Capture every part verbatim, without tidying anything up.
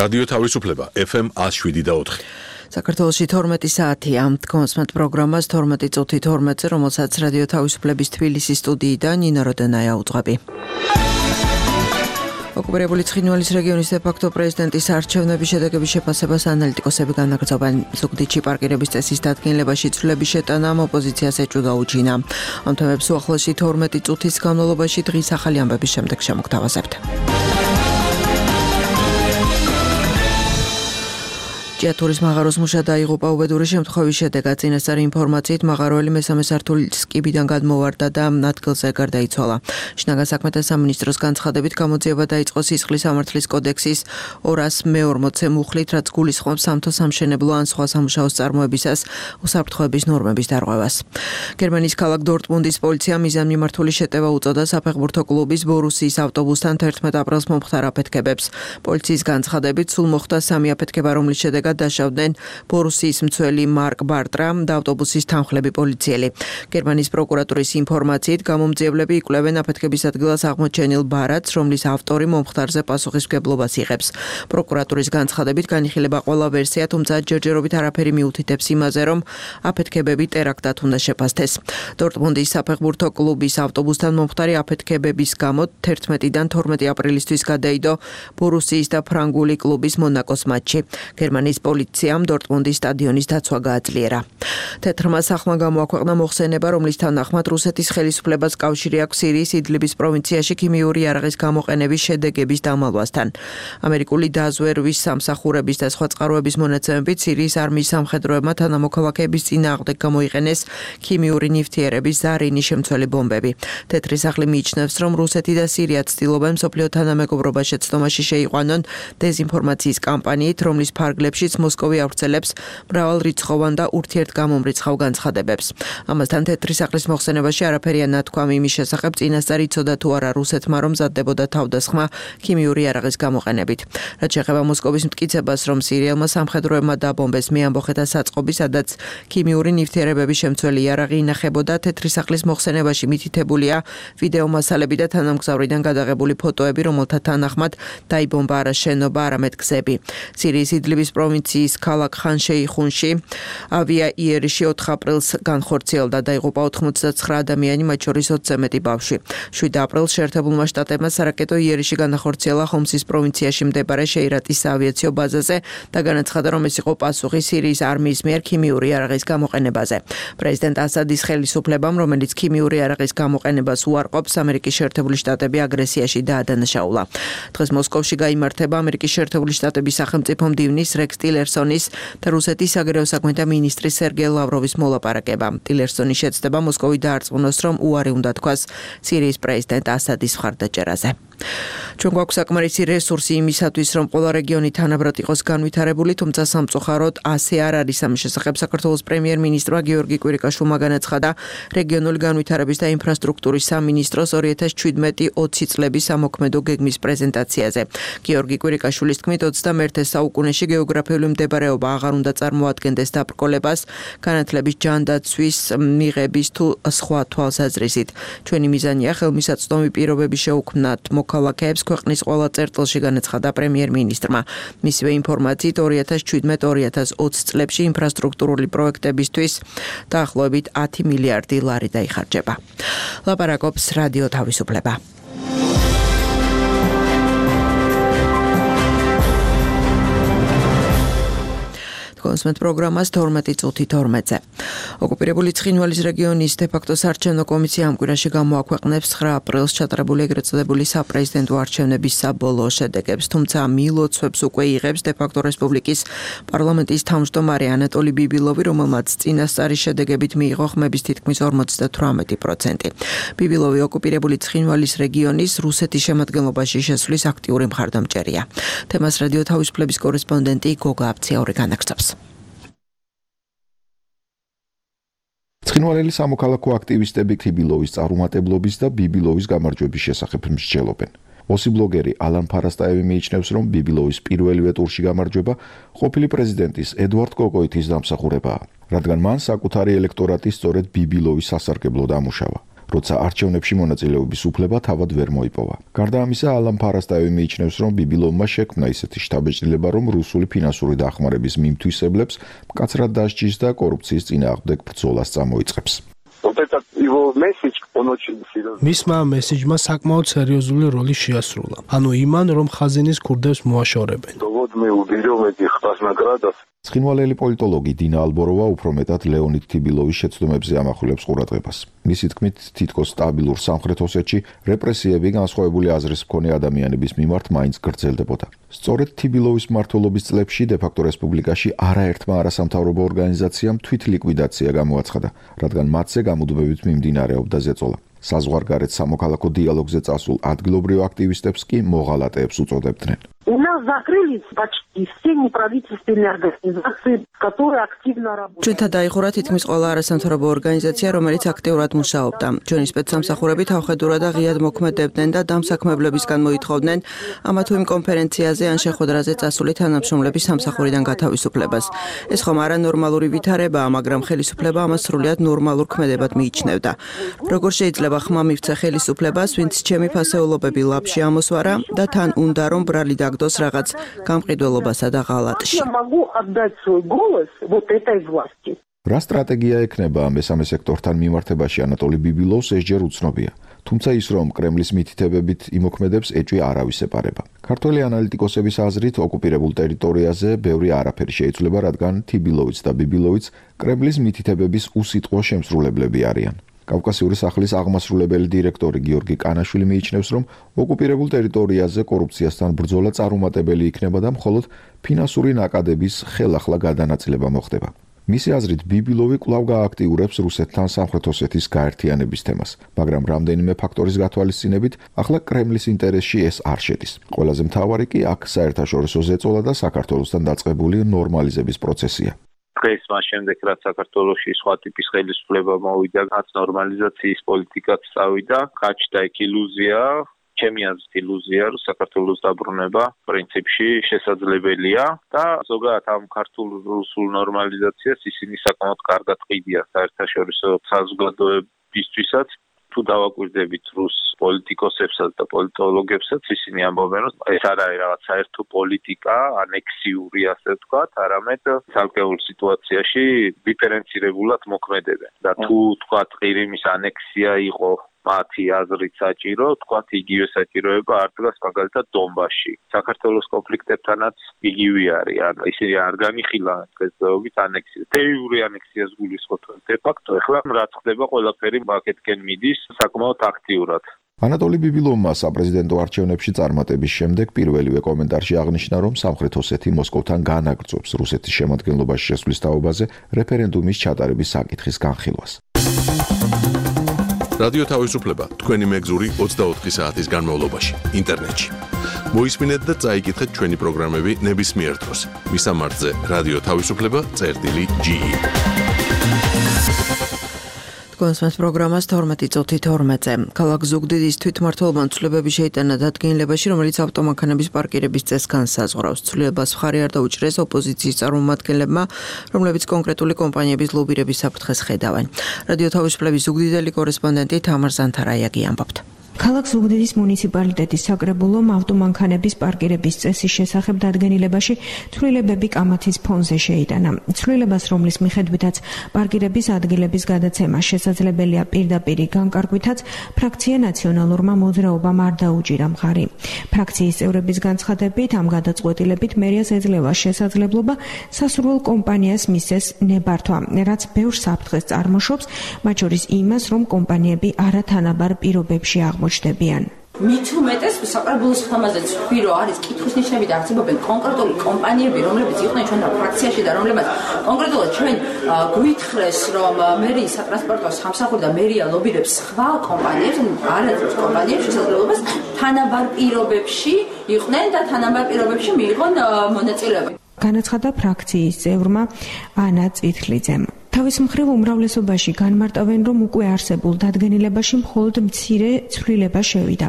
რადიო თავისუფლება ეფ ემ one oh seven და four. საქართველოში თორმეტი საათია. კონსმეთ პროგრამას თორმეტი წუთი თორმეტზე, რომელსაც რადიო თავისუფლების თბილისის სტუდიიდან ნინო როდენაია უძღვები. ოკუპირებული ცხინვალის რეგიონის დე-ფაქტო პრეზიდენტის არჩევნების შედეგების შეფასებას ანალიტიკოსები განაგრძობენ. ზუგდიდში პარკირების წესის დადგენილებაში ცვლილების შეტანამ ოპოზიციას ეჭვ გაუჩინა. ამ თემებს უახლოესი თორმეტი წუთის განმავლობაში დღის ახალი ამბების შემდეგ შემოგთავაზებთ. ჭიათურის მაღაროს მუშა დაიღუპა უბედური შემთხვევის შედეგად. წინასწარი ინფორმაციით მაღაროელი მესამე სართულის კიბიდან გადმოვარდა და ადგილზე გარდაიცვალა. შინაგან საქმეთა სამინისტროს განცხადებით გამოძიება დაიწყო სისხლის სამართლის კოდექსის ორასი მეორმოცე მუხლით, რაც გულისხმობს სამთო სამშენებლო ან სხვა სამუშაო წარმოებისას უსაფრთხოების ნორმების დარღვევას. გერმანიის ქალაქ დორტმუნდის პოლიციამ მიზანმიმართული შეტევა უწოდა საფეხბურთო კლუბის ბორუსიის ავტობუსთან თერთმეტ აპრილს მომხდარ აფეთქებებს. პოლიციის განცხადებით სულ მოხდა სამი აფეთქება, რომლის შედეგად დაშავდნენ ბორუსიის მცველი მარკ ბარტრა და ავტობუსის თანხლები პოლიციელი. გერმანიის პროკურატურის ინფორმაციით გამომძიებლები იკვლევენ აფეთქების ადგილას აღმოჩენილ ბარათს, რომლის ავტორი მომხდარზე პასუხისმგებლობას იღებს. პროკურატურის განცხადებით განიხილება ყველა ვერსია, თუმცა ჯერჯერობით არაფერი მიუთითებს იმაზე, რომ აფეთქებები ტერაქტად უნდა შეფასდეს. დორტმუნდის საფეხბურთო კლუბის ავტობუსთან მომხდარი აფეთქებების გამო თერთმეტიდან თორმეტი აპრილისთვის გადაიდო ბორუსიის და ფრანგული კლუბის მონაკოს მატჩი. გერმანიის პოლიციამ დორტმუნდის სტადიონის დაცვა გააძლიერა. თეთრმა სახლმა გამოაქვეყნა მოხსენება, რომლის თანახმად რუსეთის ხელისუფლებას კავშირი აქვს სირიის იდლიბის პროვინციაში ქიმიური იარაღის გამოყენების შედეგების დამალვასთან. ამერიკული დაზვერვის სამსახურების და სხვა წყაროების მონაცემებით სირიის არმიის სამხედროებმა თანამოქალაქეების წინააღმდეგ გამოიყენეს ქიმიური ნივთიერების ზარინის შემცველი ბომბები. თეთრი სახლი მიიჩნევს, რომ რუსეთი და სირია ცდილობენ მსოფლიო თანამეგობრობა შეცდომაში შეიყვანონ დეზინფორმაციის კამპანიით, რომლის ფარგლებშიც მოსკოვი ავრცელებს მრავალრიცხოვან და ურთიერთგამომრიცხავ განცხადებებს. ამასთან თეთრი სახლის მოხსენებაში არაფერია ნათქვამი იმის შესახებ, წინასწარ იცოდა თუ არა რუსეთმა, რომ მზადდებოდა თავდასხმა ქიმიური იარაღის გამოყენებით. რაც შეეხება მოსკოვის მტკიცებას, რომ სირიელმა სამხედროებმა დაბომბეს მეამბოხეთა საწყობი, სადაც ქიმიური ნივთიერებების შემცველი იარაღი ინახებოდა. თეთრი სახლის მოხსენებაში მითითებულია ვიდეო მასალები და თანამგზავრიდან გადაღებული ფოტოები, რომელთა თანახმად დაიბომბა არა შენობა, არამედ გზები. სირიის იდლიბის პროვინციის ქალაქ ხან-შეიხუნში ავია იერიში ოთხ აპრილს განხორციელდა, დაიღუპა ოთხმოცდათცხრა ადამიანი, მათ შორის ოცზე მეტი ბავშვი. შვიდ აპრილს შეერთებულმა შტატებმა სარაკეტო იერიში განახორციელა ხომსის პროვინციაში მდებარე შეირატის საავიაციო ბაზაზე და განაცხადა, რომ ეს იყო პასუხი სირიის არმიის მიერ ქიმიური იარაღის გამოყენებაზე. პრეზიდენტ ასადის ხელისუფლებამ, რომელიც ქიმიური იარაღის გამოყენებას უარყოფს, ამერიკის შეერთებული შტატები აგრესიაში დაადანაშაულა. დღეს მოსკოვში გაიმართება ამერიკის შეერთებული შტატების სახელმწიფო მდივნის რექს ტილერსონის და რუსეთის საგარეო საქმეთა მინისტრის სერგეი ლავროვის მოლაპარაკება. ტილერსონი შეცდება მოსკოვი დაარწმუნოს, რომ უარი უნდა თქვას სირიის პრეზიდენტ ასადის მხარდაჭერაზე. ჩვენ გვაქვს საკმარისი რესურსი იმისათვის, რომ ყველა რეგიონი თანაბრად იყოს განვითარებული, თუმცა სამწუხაროდ ასე არ არის. ამის შესახებ საქართველოს პრემიერ-მინისტრმა გიორგი კვირიკაშვილმა განაცხადა რეგიონული განვითარების და ინფრასტრუქტურის სამინისტროს ორი ათას შვიდმეტი ოცი წლების სამოქმედო გეგმის პრეზენტაციაზე. გიორგი კვირიკაშვილის თქმით, ოცდამეერთე საუკუნეში გეოგრაფიული მდებარეობა აღარ უნდა წარმოადგენდეს დაბრკოლებას, განათლების ჯანდაცვის, მიღების თუ სხვა თვალსაზრისით. ჩვენი მიზანია ხელმისაწვდომი პირობები შეუქმნათ მოქალაქეებს ქვეყნის ყველა წერტილში, განაცხადა პრემიერ-მინისტრმა. მისივე ინფორმაციით ორი ათას შვიდმეტი ორი ათას ოცი წლებში ინფრასტრუქტურული პროექტებისთვის დაახლოებით ათი მილიარდი ლარი დაიხარჯება. ლაპარაკობს რადიო თავისუფლება. კონსმეთ პროგრამას თორმეტი წუთი თორმეტზე. ოკუპირებული ცხინვალის რეგიონის დე-ფაქტო საარჩევნო კომისია ამ კვირაში გამოაქვეყნებს ცხრა აპრილს ჩატარებული ეგრეთ წოდებული საპრეზიდენტო არჩევნების საბოლოო შედეგებს, თუმცა მილოცვებს უკვე იღებს დე-ფაქტო რესპუბლიკის პარლამენტის თავმჯდომარე ანატოლი ბიბილოვი, რომელმაც წინასწარი შედეგებით მიიღო ხმების თითქმის ორმოცდათვრამეტი პროცენტი. ბიბილოვი ოკუპირებული ცხინვალის რეგიონის რუსეთის შემადგენლობაში შესვლის აქტიური მხარდამჭერია. თემას რადიო თავისუფლების კორესპონდენტი გოგა აბციაური განაგრძობს. ცხინვალელი სამოქალაქო აქტივისტები ბიბილოვის წარუმატებლობის და ბიბილოვის გამარჯვების შესახებ მსჯელობენ. ოსიბლოგერი ალან ფარასტაევი მიიჩნევს, რომ ბიბილოვის პირველივე ტურში გამარჯვება ყოფილი პრეზიდენტის ედვარდ კოკოითის დამსახურებაა, რადგან მან საკუთარი ელექტორატი სწორედ ბიბილოვის სასარგებლოდ ამუშავა. როცა არჩევნებში მონაწილეობის უფლება თავად ვერ მოიპოვა. გარდა ამისა, ალან ფარასტაევი მიიჩნევს, რომ ბიბილოვმა შექმნა ისეთი შთაბეჭდილება, რომ რუსული ფინანსური დახმარების მიმთვისებლებს მკაცრად დასჯის და კორუფციის წინააღმდეგ ბრძოლას წამოიწყებს. მისმა მესიჯმა საკმაოდ სერიოზული როლი შეასრულა. ანუ იმან, რომ ხაზინის ქურდებს მოაშორებენ. ცხინვალელი პოლიტოლოგი დინა ალბოროვა უფრო მეტად ლეონიდ თიბილოვის შეცდომებზე ამახვილებს ყურადღებას. მისი თქმით, თითქოს სტაბილურ სამხრეთ ოსეთში რეპრესიები განსხვავებული აზრის მქონე ადამიანების მიმართ მაინც გრძელდებოდა. სწორედ თიბილოვის მმართველობის წლებში დე-ფაქტო რესპუბლიკაში არაერთმა არასამთავრობო ორგანიზაციამ თვითლიკვიდაცია გამოაცხადა, რადგან მათზე გამუდმებით მიმდინარეობდა ზეწოლა. საზღვარგარეთ სამოქალაქო დიალოგზე წასულ ადგილობრივ აქტივისტებს კი მოღალატეებს უწოდებდნენ. У нас закрылись почти все неправительственные организации, которые активно работают. ჩვენთან დაიხურა თითქმის ყველა არასამთავრობო ორგანიზაცია, რომელიც აქტიურად მუშაობდა. ჩვენი სპეცსამსახურები თავხედურად და ღიად მოქმედებდნენ და დამსაქმებლებისგან მოითხოვდნენ ამა თუ იმ კონფერენციაზე ან შეხვედრაზე წასული თანამშრომლების სამსახურიდან გათავისუფლებას. ეს ხომ არანორმალური ვითარებაა, მაგრამ ხელისუფლება ამას სრულიად ნორმალურ ქმედებად მიიჩნევდა. როგორ შეიძლება ხმა მივცე ხელისუფლებას, ვინც ჩემი ფასეულობები ლაპში ამოსვარა და თან უნდა რომ ბრალი დაგდოს რაღაც გამყიდველობასა და ღალატში. რა სტრატეგია ექნება მესამე სექტორთან მიმართებაში ანატოლი ბიბილოვს ესჯერ უცნობია. თუმცა ის რომ კრემლის მითითებებით იმოქმედებს ეჭვი არავის ეპარება. ქართველი ანალიტიკოსების აზრით ოკუპირებულ ტერიტორიაზე ბევრი არაფერი შეიცვლება, რადგან თიბილოვიც და ბიბილოვიც კრემლის მითითებების უსიტყვო შემსრულებლები არიან. კავკასიური სახლის აღმასრულებელი დირექტორი გიორგი კანაშვილი მიიჩნევს, რომ ოკუპირებულ ტერიტორიაზე კორუფციასთან ბრძოლა წარუმატებელი იქნება და მხოლოდ ფინანსური ნაკადების ხელახლა გადანაწილება მოხდება. მისი აზრით, ბიბილოვი კვლავ გააქტიურებს რუსეთთან სამხრეთ ოსეთის გაერთიანების თემას, მაგრამ რამდენიმე ფაქტორის გათვალისწინებით, ახლა კრემლის ინტერესში ეს არ შედის. ყველაზე მთავარი კი აქ საერთაშორისო ზეწოლა და საქართველოსთან დაწყებული ნორმალიზების პროცესია. დღეს მას შემდეგ, რაც საქართველოში სხვა ტიპის ხელისუფლება მოვიდა, რაც ნორმალიზაციის პოლიტიკაც წავიდა, გაჩნდა იქ ილუზია, ჩემი აზრით ილუზია, რომ საქართველოს დაბრუნება პრინციპში შესაძლებელია და ზოგადად ამ ქართულ-რუსულ ნორმალიზაციას ისინი საკმაოდ კარგად ყიდიან საერთაშორისო საზოგადოებისთვისაც. თუ დავაკვირდებით რუს პოლიტიკოსებსაც და პოლიტოლოგებსაც, ისინი ამბობენ, რომ ეს არ არის რაღაც საერთო პოლიტიკა, ანექსიური, ასე ვთქვათ, არამედ ცალკეულ სიტუაციაში დიფერენცირებულად მოქმედებენ. და თუ ვთქვათ, ყირიმის ანექსია იყო მათი აზრით საჭირო, ვთქვათ, იგივე საჭიროება არ დგას მაგალითად დონბასში. საქართველოს კონფლიქტებთანაც იგივე არის. ან ისინი არ განიხილავენ დღესდღეობით ანექსიას. დე-იურე ანექსიას გულისხმობენ დე-ფაქტო. ეხლა რაც ხდება, ყველაფერი მაკეთკენ მიდის საკმაოდ აქტიურად. ანატოლი ბიბილოვმა საპრეზიდენტო არჩევნებში წარმატების შემდეგ პირველივე კომენტარში აღნიშნა, რომ სამხრეთ ოსეთი მოსკოვთან განაგრძობს რუსეთის შემადგენლობაში შესვლის თაობაზე რეფერენდუმის ჩატარების საკითხის განხილვას. რადიო თავისუფლება თქვენი მეგზური ოცდაოთხი საათის განმავლობაში ინტერნეტში. მოისმინეთ და წაიკითხეთ ჩვენი პროგრამები ნებისმიერ დროს. მისამართზე რადიო თავისუფლება წერტილი ჯი ი. კონსმეს პროგრამას თორმეტი წუთი თორმეტზე. ქალაქ ზუგდიდის თვითმმართველობა ცვლილებები შეიტანა დადგენილებაში, რომელიც ავტომანქანების პარკირების წესს განსაზღვრავს. ცვლილებას მხარი არ დაუჭრეს ოპოზიციის წარმომადგენლებმა, რომლებიც კონკრეტული კომპანიების ლობირების საფრთხეს ხედავენ. რადიო თავისუფლების ზუგდიდელი კორესპონდენტი თამარ ზანთარაიაგი ამბობთ. ქალაქ ზუგდიდის მუნიციპალიტეტის საკრებულომ ავტომანქანების პარკირების წესის შესახებ დადგენილებაში ცვლილებები კამათის ფონზე შეიტანა. ცვლილებას, რომლის მიხედვითაც პარკირების ადგილების გადაცემა შესაძლებელია პირდაპირი განკარგვითაც, ფრაქცია ნაციონალურმა მოძრაობამ არ დაუჭირა მხარი. ფრაქციის წევრების განცხადებით, ამ გადაწყვეტილებით მერიას ეძლევა შესაძლებლობა სასურველ კომპანიას მისცეს ნებართვა, რაც ბევრ საფრთხეს წარმოშობს, მათ შორის იმას, რომ კომპანიები არათანაბარ პირობებში აღმოჩნდებიან. მით უმეტეს საკრებულოს ხმაზეც ვირო არის კითხვის ნიშნები და არსებობენ კონკრეტული კომპანიები, რომლებიც იყვნენ ჩვენთან ფრაქციაში და რომლებიც კონკრეტულად ჩვენ გვითხრეს, რომ მერიის სატრანსპორტო სამსახური და მერია ლობირებს სხვა კომპანიებს, არაერთი კომპანიებს შესაძლებლობას თანაბარ პირობებში იყვნენ და თანაბარ პირობებში მიიღონ მონაწილეობა. განაცხადა ფრაქციის წევრმა ანა წითლიძემ. თავის მხრივ უმრავლესობაში განმარტავენ, რომ უკვე არსებულ დადგენილებაში მხოლოდ მცირე ცვლილება შევიდა.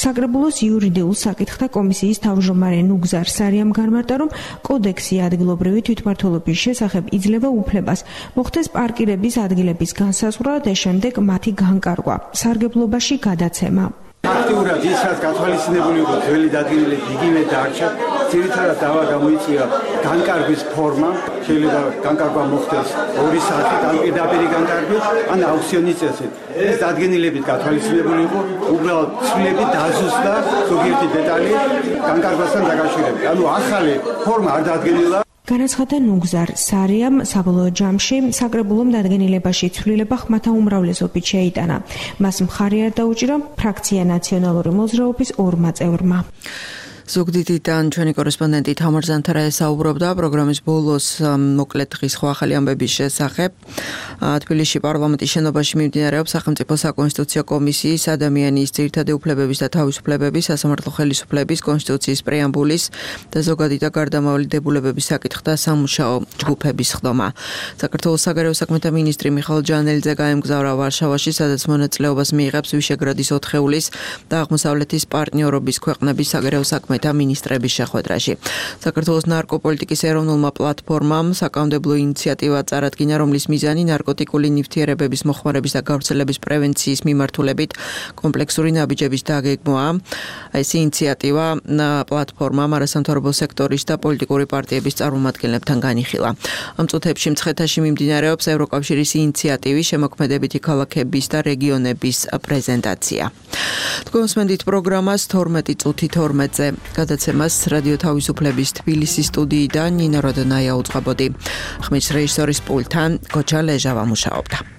საკრებულოს იურიდიულ საკითხთა კომისიის თავმჯდომარე ნუგზარ სარიამ განმარტა, რომ კოდექსი ადგილობრივი თვითმმართველობის შესახებ იძლევა უფლებას მოხდეს პარკირების ადგილების განსაზღვრა და შემდეგ მათი განკარგვა, სარგებლობაში გადაცემა. აქტიურად ის რაც გათვალისწინებული იყო ძველი დადგენილებით იგივე დარჩა. ძირითადად დავა გამოიწვია განკარგვის ფორმა, შეიძლება განკარგვა მოხდეს ორი საათით, ან პირდაპირი განკარგვით, ან აუქციონის წესით. ეს დადგენილებით გათვალისწინებული იყო, უბრალოდ ცვლილები დაზუსტდა ზოგიერთი დეტალი განკარგვასთან დაკავშირებით. ანუ ახალი ფორმა არ დადგენილა. განაცხადა ნუგზარ სარიამ, საბოლოო ჯამში საკრებულომ დადგენილებაში ცვლილება ხმათა უმრავლესობით შეიტანა. მას მხარი არ დაუჭირა ფრაქცია ნაციონალური მოძრაობის ორმა წევრმა. ზუგდიდიდან ჩვენი კორესპონდენტი თამარ ზანთარა ესაუბრობდა პროგრამის ბოლოს მოკლედ დღის ხო ახალი ამბების შესახებ. თბილისში პარლამენტის შენობაში მიმდინარეობს სახელმწიფო საკონსტიტუციო კომისიის ადამიანის ძირითადი უფლებების და თავისუფლებების სასამართლო ხელისუფლების კონსტიტუციის პრეამბულის და ზოგადი და გარდამავალი დებულებების საკითხთა სამუშაო ჯგუფების ხდომა. საქართველოს საგარეო საქმეთა მინისტრი მიხეილ ჯანელიძე გაემგზავრა ვარშავაში, სადაც მონაწილეობას მიიღებს ვიშეგრადის ოთხეულის და აღმოსავლეთის პარტნიორობის ქვეყნების საგარეო საქმეთა მინისტრების შეხვედრაში. საქართველოს ნარკოპოლიტიკის ეროვნულმა პლატფორმამ საკანონმდებლო ინიციატივა წარადგინა, რომლის მიზანი ნარკოტიკული ნივთიერებების მოხმარების და გავრცელების პრევენციის მიმართულებით კომპლექსური ნაბიჯების დაგეგმვაა. ეს ინიციატივა პლატფორმამ არასამთავრობო სექტორის და პოლიტიკური პარტიების წარმომადგენლებთან განიხილა. ამ წუთებში მცხეთაში მიმდინარეობს ევროკავშირის ინიციატივის შემოქმედებითი ქალაქების და რეგიონების პრეზენტაცია. თქვენ მოსმენთ პროგრამას თორმეტი წუთი თორმეტზე. გადაცემას რადიო თავისუფლების თბილისის სტუდიიდან ნინო როდონაია უწყებოდი. ხმის რეჟისორის პულტთან გოჩა ლეჟავა მუშაობდა.